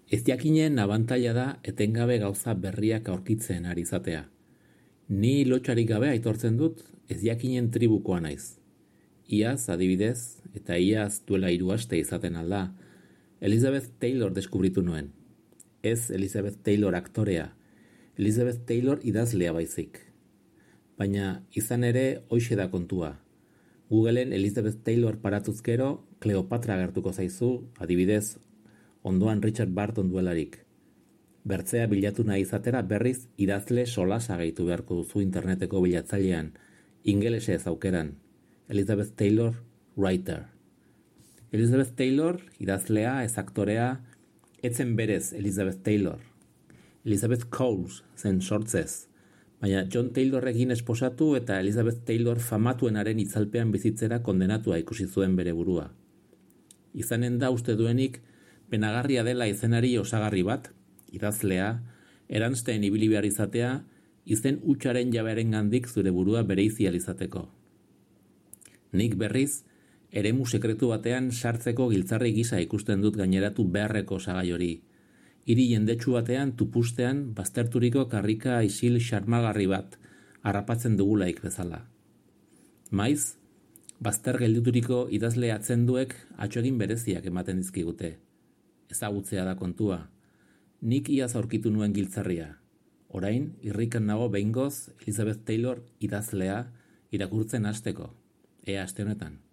Ez jakinen abantaila da etengabe gauza berriak aurkitzen ari izatea. Ni lotxarik gabe aitortzen dut ez jakinen tribukoa naiz. Iaz, adibidez, eta iaz duela 3 aste izaten alda, Elizabeth Taylor deskubritu nuen. Ez Elizabeth Taylor aktorea, Elizabeth Taylor idazlea baizik. Baina izan ere hoixe da kontua. Googleen Elizabeth Taylor paratuzkero, Cleopatra agertuko zaizu, adibidez, ondoan Richard Burton duelarik. Bertzea bilatu nahi izatera berriz idazle solasa gehitu beharko duzu interneteko bilatzailean, ingelesez aukeran. Elizabeth Taylor, writer. Elizabeth Taylor, idazlea, ez aktorea, etzen berez Elizabeth Taylor. Elizabeth Coles zen sortzez, baina John Taylorrekin esposatu eta Elizabeth Taylor famatuenaren itzalpean bizitzera kondenatua ikusi zuen bere burua. Izanen da uste duenik, penagarria dela izenari osagarri bat, idazlea, eransten ibili behar izatea, izen hutsaren jabearen gandik zure burua bereizi izateko. Nik berriz, eremu sekretu batean sartzeko giltzarri gisa ikusten dut gaineratu beharreko osagai hori. Hiri jendetsu batean tupustean bazterturiko karrika isil xarmagarri bat harrapatzen dugulaik bezala. Maiz, bazter geldituriko idazle atzenduek atxogin bereziak ematen dizkigute. Ezagutzea da kontua. Nik iaz aurkitu nuen giltzarria. Orain, irrikan nago behingoz Elizabeth Taylor idazlea irakurtzen hasteko. Ea aste honetan.